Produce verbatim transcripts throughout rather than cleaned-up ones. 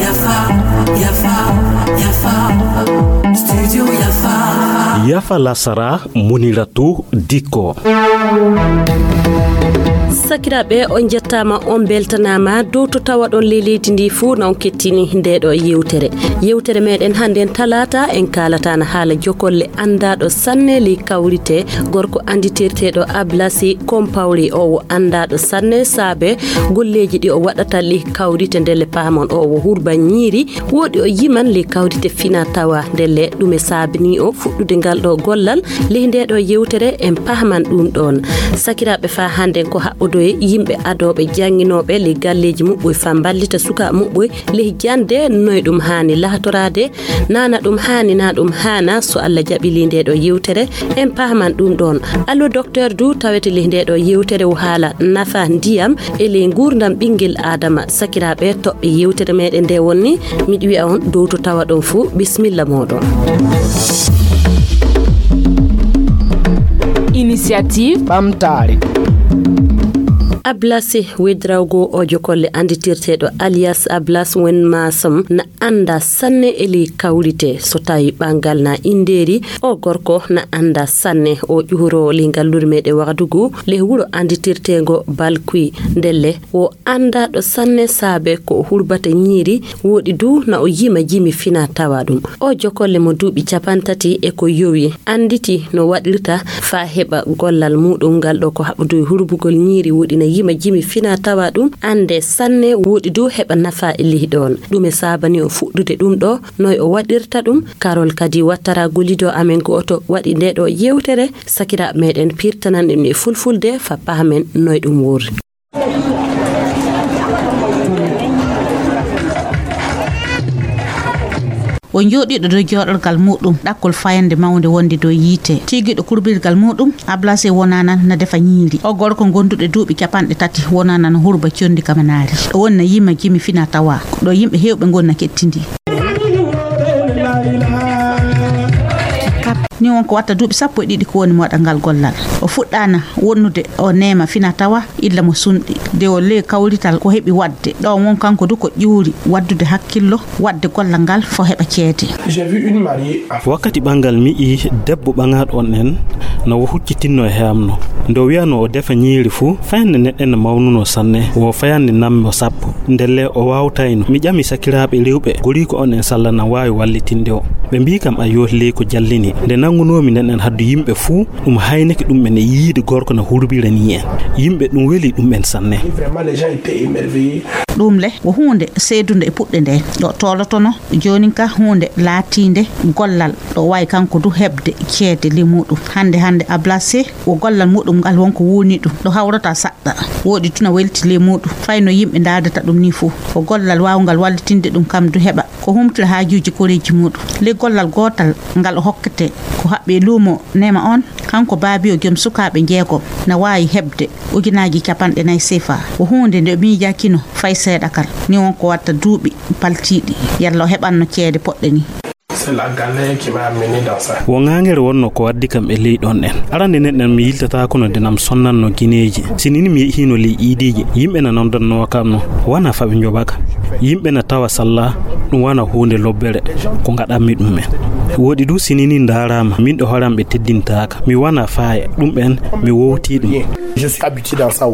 Yafa, yafa, yafa. Studio yafa. Yafa lasara, Muniratu Dikko. Sakiraaɓe, on njettaama, on mbeltanaama dow to tawaɗon ley leydi ndi fuu na on kettini nde ɗo yewtere. Yewtere meɗen hannden talaata, en kaalata na haala jokolle anndaaɗo sanne ley kawrite, gorko annditirteeɗo Ablasi Kompawri. O wo anndaaɗo sanne saabe golleeji ɗi o waɗata ley kawrite ndelle paamon. O wo hurba ñiiri, woɗi o yiman ley kawrite fina tawa ndelle ɗume saabini o fuɗɗude ngal ɗo gollal. Ley nde ɗo yewtere en pahman ɗum ɗon. Sakiraaɓe, faa hannden ko haɓɓodoye yimɓe adooɓe jannginooɓe ley galleeji muɓɓoy faa mballita sukaaɓe muɓɓoy ley jannde, noy ɗum haani lahtoraade, naa na ɗum haani, naa ɗum haana. So Allah jaɓi ley nde ɗo yewtere en pahman ɗum ɗon. Allo Docteur du tawete ley nde ɗo yewtere o haala nafa ndiyam e ley nguurndam ɓinngel Aadama. Sakiraaɓe, toɓɓe yewtere meɗen nde wonni, miɗo wi'a on dow to tawaɗon fuu, bismilla mooɗon. Initiative Ɓamtaare. Ablasi Wedrawgo o jokolle annditirteeɗo alias Ablas Wen Maasam na annda sanne e ley kawrite. So tawi ɓanngal na inndeeri, o gorko na annda sanne. O ƴuhuroowo ley ngalluure meɗen Wagadugu, ley wuro annditirteengo Balkui. Ndelle, o anndaaɗo sanne saabe ko o hurbata ñiiri, woɗi du na o yima jimi fina tawa ɗum. O jokolle mo duuɓi capantati e ko yowi, annditi no waɗirta faa heɓa gollal muuɗum ngal ɗo ko haɓɓudu e hurbugol ñiiri, woɗi na yima jimi fina tawa ɗum, annde sanne, woɗi du heɓa nafa e ley ɗoon. Ɗume saabani o fuɗɗude ɗum ɗo, noy o waɗirta ɗum? Karol kadi wattara gollido amen gooto waɗi nde ɗo yewtere, sakiraaɓe meɗen pirtanan ɗum e fulfulde faa pahamen noy ɗum wori. O jooɗiiɗo dow jooɗorgal muuɗum, ɗakkol fayande mawnde wonde dow yiite. Tiigiiɗo kurbirgal muuɗum, Ablase wonaa nan na defa ñiiri. O gorko gonduɗo duuɓi capanɗe tati wonaa nan hurba conndi kamanaari. Ɗo woni na yima jimi fina tawa. Ɗo yimɓe heewɓe ngoni na kettindi. Ni won ko watta duuɓi sappo e ɗiɗi ko woni mo waɗa ngal gollal. O fuɗɗaana wonnude o neema fina tawa illa mo sunɗi. Nde o ley kawrital ko heɓi waɗde. Ɗo won kanko du ko ƴuuri waɗdude hakkillo, waɗde gollal ngal fo heɓa ceede. J'ai vu une mariée. Wakkati ɓangal mi yi'i debbo ɓaŋaaɗo on en no o huccitinno e heamno. Nde o wi'anoo o defa ñiiri fu, fayande nden en no mawnuno sanne, wo fayande nammo sappo. Ndelle o waawtayno. Mi ƴami sakiraaɓe rewɓe goriiko on en salla na waawi wallitinde o. Ɓe mbi'i kam ayyo ley ko jallini. Nde nanngunoomi nden en haddu yimɓe fuu, ɗum haynake ɗum en e yiide gorko na hurbira ni en. Yimɓe ɗum weli ɗum en sanne. Vraiment, les gens étaient émerveillés. Ɗum le, wo huunde seedunde e puɗɗe nde. Ɗo toolotono, joonin ka huunde laatiinde gollal, ɗo waawi kanko du heɓde ceede ley muuɗum. Hannde, hannde, Ablase, wo gollal muuɗum ngal wonko wuuni ɗum. Ɗo hawrata saɗɗa. Woɗi tuna welti ley muuɗum. Fay no yimɓe ndaardata ɗum ni fuu. Ko gollal waawngal wallitinde ɗum kam du heɓa. Ko humtira haajuuji koreeji muuɗum. Ley gollal gootal ngal o hokkete, ko haɓɓi e luumo Neema on, kanko baabiyo joom sukaaɓe jeegom, na waawi heɓde ujunaaji capanɗe nayi sefa. Ko huunde nde miijaakino fay seeɗa kal. Ni won ko watta duuɓi paltiiɗi, yalla o heɓanno ceede poɗɗe ni. C'est la galère qui m'a amené dans ça. Wo ŋaaŋere wonno ko waddi kam e ley ɗon en. Arande nden en mi yiltataako no nde nam sonnanno gineeji. Sini ni mi yehiino ley iidiiji, yimɓe na nondannoo kam no, wana fa ɓe njoɓa ka. Yimɓe na tawa salla, ɗum wana huunde lobbere, ko ngaɗanmi ɗum en. Woɗi du sini ni ndaaraama, min ɗo hooram ɓe teddintaaka. Mi wana faaya, ɗum en, mi wowtii ɗum. Je suis habitué dans ça.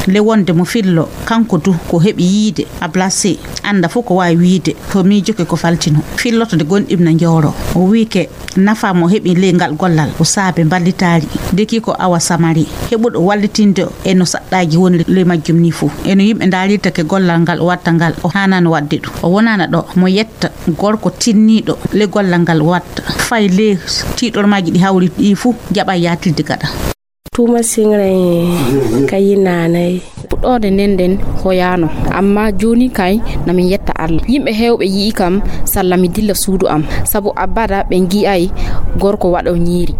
Le wonde mo fillo, kanko du ko heɓi yiide, Ablase, annda fof ko waawi wiide, to miijoke ko faltino. Filloto nde gonɗim na njooro. O wiike nafa mo heɓi ley ngal gollal, o saabe mballitaari. Deki ko awa samari, heɓuɗo wallitinde e no saɗɗaaji woni ley majjum ni fof. E no yimɓe ndaarirta ke gollal ngal o watta ngal, o haanano waɗde ɗum. O wonana ɗo mo yetta gorko tinniiɗo ley gollal ngal o watta. Fay ley tiiɗormaaji ɗi hawri ɗi fof, jaɓa yaatirde gaɗa. Tuma singre ka yinanay. Puɗɗoode nden nden hoyaano, amma jooni kay na min yetta Allah. Yimɓe heewɓe yi'i kam salla mi dilla suudu am, sabu abada ɓe ngi'ay gorko waɗo ñiiri.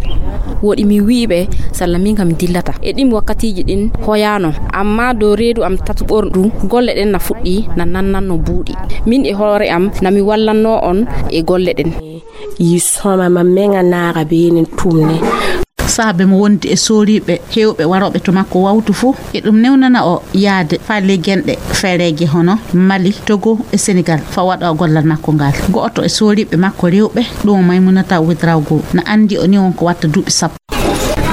Woɗi mi wi'i ɓe salla min kam mi dillata. E ɗin wakkatiiji ɗin hoyaano, amma dow reedu am tatu ɓorɗu golle ɗen na fuɗɗi na nannanno buuɗi. Min e hoore am na mi wallanno on e golle ɗen. Yi soma ma menga naara be nin tumne. Saabe mo wondi e sooriiɓe heewɓe warooɓe to makko wawtu fuu, e ɗum newnana o yahde faa ley genɗe fereeje hono Mali, Togo e Senegal faa waɗa o gollal makko ngal. Go'oto e sooriiɓe makko rewɓe, ɗum o Maymunata Ouedraogo, na anndi o ni won ko watta duuɓi sappo.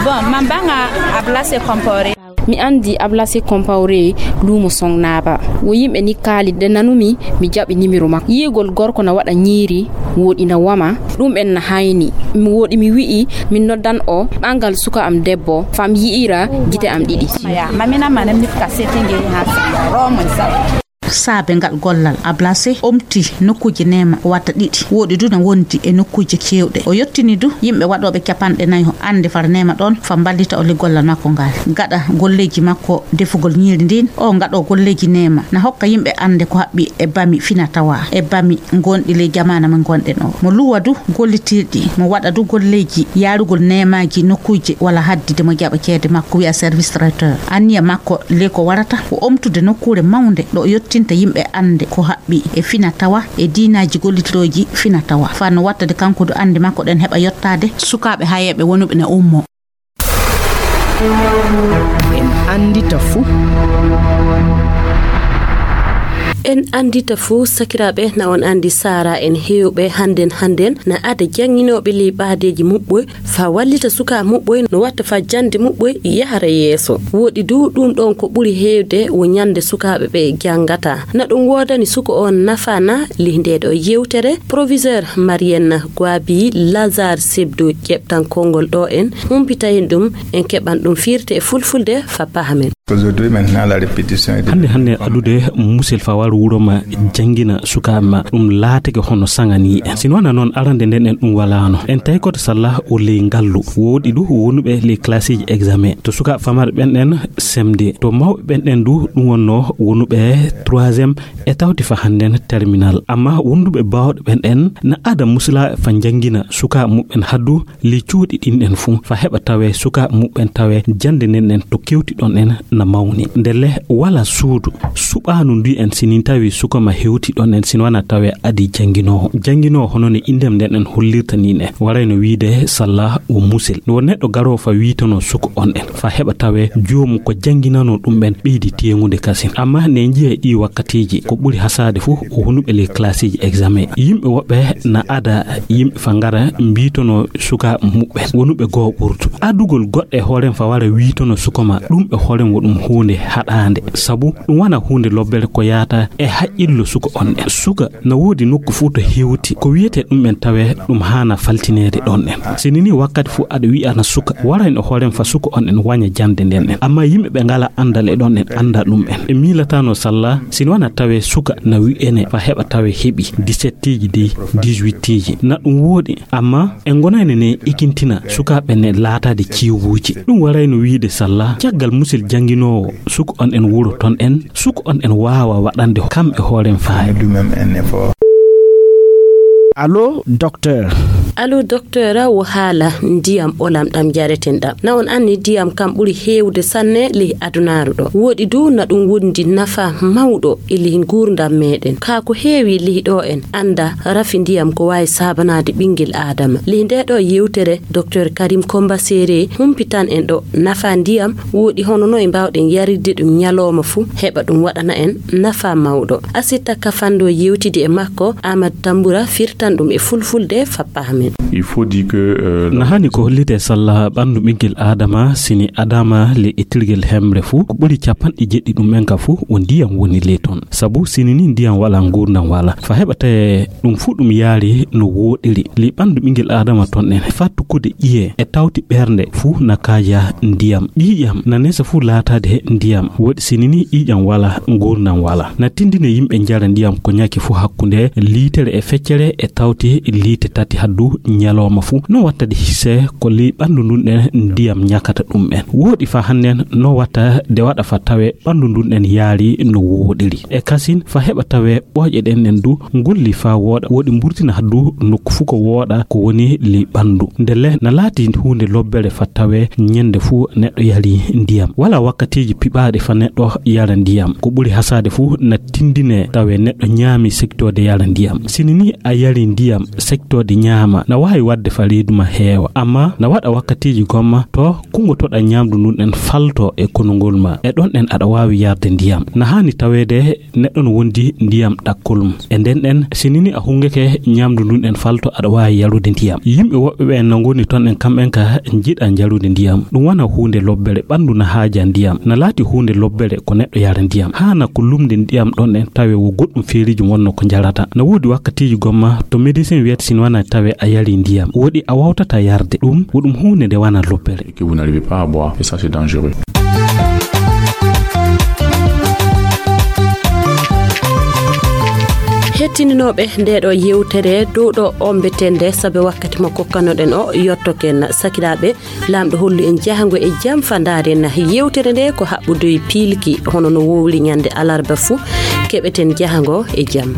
Bon, man banga Ablassé Compaoré. Mi anndi Ablassé Compaoré luumo Songnaaba. Wo yimɓe ni kaali de nanumi, mi jaɓi nimiro makko. Yi'ugol gorko na waɗa ñiiri, wooɗi na wama, ɗum en na hayni. Mi wooɗi mi wi'i, min noddan o ɓangal suka am debbo, fam yi'ira gite am ɗiɗi. Mamina manem nifka setenge ha sa romo sa. Saabe ngal gollal, Ablassé omti nokkuuje neema wata ɗiɗi, wooɗi du na wondi e nokkuuje keewɗe. O yottini du yimɓe waɗooɓe capanɗe nayo annde far neema ɗoon, fa mballita o le gollal makko ngal. Gaɗa golleeji makko defugol ñiiri ndin, o ngaɗo golleeji neema na hokka yimɓe annde ko haɓɓi e bami fina tawa, e bami ngonɗi ley jamaana mo ngonɗen o. Mo luwa du gollitirɗi, mo waɗa du golleeji yaarugol neemaaji nokkuuje wala haddide mo jaɓa ceede makko, wi'a service traiteur. Anniya makko le ko warata ko omtude nokkuure mawnde ɗo yottinta yimɓe annde ko haɓɓi e fina tawa e diinaaji gollitooji fina tawa. Faa no wattade kanko du annde makko ɗen heɓa yottaade sukaaɓe hayeeɓe wonuɓe na ummo. En anndita fuu. En anndita fuu, sakiraaɓe, na on anndi saara en heewɓe hannden hannden na ada jannginooɓe ley ɓaadeeji muɓɓoy faa wallita sukaa muɓɓoy no watta faa jannde muɓɓoy yahara yeeso. Wooɗi du ɗum ɗoon ko ɓuri heewde wo ñande sukaaɓe ɓe janngata. Na ɗum woodani suko on nafa na? Lih ndee ɗo yewtere, proviseur Marienne Gwabi Lazare Sebdo ƴeɓtan konngol ɗo en humpita en ɗum, en keɓan ɗum firte e fulfulde fa pahamen. Aujourd'hui, maintenant, la répétition est de... Hannde, hannde adude musel fa waro wuro ma janngina sukaaɓe ma, ɗum laatake hono saŋa ni en. Sino wona noon, arande nden en ɗum walaano. En tawi koto salla o ley ngallu. Wooɗi du wonuɓe ley classe ji examen. To sukaaɓe famarɓe ɓen ɗen semde. To mawɓe ɓen ɗen du ɗum wonno wonuɓe troisième e tawti fa hannden terminal. Amma wonduɓe baawɗe ɓen ɗen na ada musla fa janngina sukaaɓe muɓɓen haddu ley cuuɗi ɗin ɗen fuu, fa heɓa tawee sukaaɓe muɓɓen tawee jannde nden ɗen to kewti ɗon ɗen na mawni. Ndelle wala suudu suɓaanu ndu en sinin tawi suka ma hewti ɗon ɗen sino wana tawee adi jannginoowo. Jannginoowo hono ne inndem nden ɗen hollirta ni ne, warayno wiide salla o musel. Wo neɗɗo garoo fa wiitono suka on ɗen, fa heɓa tawee joomu ko jannginanoo ɗum ɓen ɓeydi teeŋude kasin. Amma ne njiya ɗi wakkatiiji ko ɓuri hasaade fuu o hunuɓe ley classe ji examen. Yimɓe woɓɓe na ada yimɓe fa ngara mbiitono suka muɓɓen wonuɓe goo ɓurtu. Adugol goɗɗo e hoorem fa wara wiitono suka ma, ɗum e hoorem wo ɗum huunde haɗaande. Sabu ɗum wana huunde lobbere ko yaata e haqqillo suka on ɗen. Suka na woodi nokku fuu to hewti. Ko wiyetee ɗum en tawee ɗum haana faltineede ɗon ɗen. Sini ni wakkati fuu aɗa wi'ana suka, warayno hoorem fa suka on ɗen waña jannde nden ɗen. Amma yimɓe ɓe ngala anndal e ɗon ɗen annda ɗum en. Ɓe miilatano salla, sino wana tawee suka na wi'ene fa heɓa tawee heɓi dix-sept iji dey, dix-huit iji. Na ɗum wooɗi, amma en ngonayno ne ikintina sukaaɓe ne laataade ciwuuji. Ɗum warayno wiide salla, caggal musil jannginoowo suka on en wuro ton en, suka on en waawa waɗande kam e hoorem faay. Allo, docteur. Allo, docteur, wo haala ndiyam ɓolam ɗam jareten ɗam. Na on anni ndiyam kam ɓuri heewde sanne ley adunaaru ɗo. Wooɗi du na ɗum wondi nafa mawɗo e ley nguurndam meɗen. Kaa ko heewi ley ɗo en annda rafi ndiyam ko waawi saabanaade ɓinngel Aadama. Ley ndee ɗo yewtere, docteur Karim Komba Sere humpitan en ɗo nafa ndiyam, wooɗi hono no e mbaawɗen yarirde ɗum ñalooma fuu, heɓa ɗum waɗana en nafa mawɗo. Asitta Kafando yewtidi e makko, Amadou Tambura firtan ɗum e fulfulde fa pahamen. Il faut dire que, euh, na hani ko hollite salla ɓanndu ɓinngel Aadama, sini Aadama le ittirgel hemre fuu, ko ɓuri capanɗe jeɗɗi ɗum en ka fuu, o ndiyam woni ley ton. Sabu sini ni ndiyam wala, nguurndam wala. Fa heɓa tawe ɗum fuu ɗum yaari no wooɗiri. Ley ɓanndu ɓinngel Aadama ton en, fa tukkude ƴiye e tawti ɓernde fuu na kaaja ndiyam. Ƴiiƴam na nesa fuu laataade ndiyam. Wooɗi sini ni ƴiiƴam wala, nguurndam wala. Na tindine yimɓe njara ndiyam ko ñaki fuu hakkunde liitere e feccere e tawti liite tati haddu ñalooma fuu. No wattade hise ko ley ɓanndu ndun ɗen ndiyam ñakata ɗum en. Wooɗi fa hannden no watta de waɗa fa tawe ɓanndu ndun ɗen yaari no wooɗiri. E kasin fa heɓa tawe ɓooƴe ɗen ɗen du ngolli fa wooɗa, wooɗi mburtina du nokku fuu ko wooɗa ko woni ley ɓanndu. Ndelle na laati huunde lobbere fa tawe ñande fuu neɗɗo yari ndiyam. Wala wakkatiiji piɓaaɗi fa neɗɗo yara ndiyam. Ko ɓuri hasaade fuu na tindine tawe neɗɗo ñaami sektoode yara ndiyam. Sini ni a yari ndiyam sektoode ñaama, Na waawi waɗde fa reedu ma heewa, amma na waɗa wakkatiiji gomma to kunngotoɗa ñaamdu ndun ɗen falto e konungol ma. E ɗon ɗen aɗa waawi yarde ndiyam. Na haani taweede neɗɗo no wondi ndiyam ɗakkol mum. E nden ɗen, si nini a hunngeke ñaamdu ndun ɗen falto, aɗa waawi yarude ndiyam. Yimɓe woɓɓe ɓen no ngoni ton ɗen kamɓen ka njiɗa njarude ndiyam. Ɗum wona huunde lobbere, ɓanndu na haaja ndiyam. Na laati huunde lobbere ko neɗɗo yara ndiyam. Haana ko lumde ndiyam ɗon ɗen tawe wo goɗɗum feeriiji wonno ko njarata. Na woodi wakkatiiji gomma to médecin wiyata si wona tawe a yari ndiyam. Woɗi a wawtata yarde. Ɗum, wo ɗum huunde nde wona lobbere. Et que vous n'arrivez pas à boire. Et ça, c'est dangereux. Hettininooɓe nde ɗo yewtere dow ɗo ombeten nde, sabe wakkati mo kokkanoɗen o yottoken. Sakiraaɓe, Laamɗo hollu en jahango e jam fa ndaaren yewtere nde ko haɓɓude e piilki, hono no wowli ñande alarba fuu. Keɓeten jahango e jam.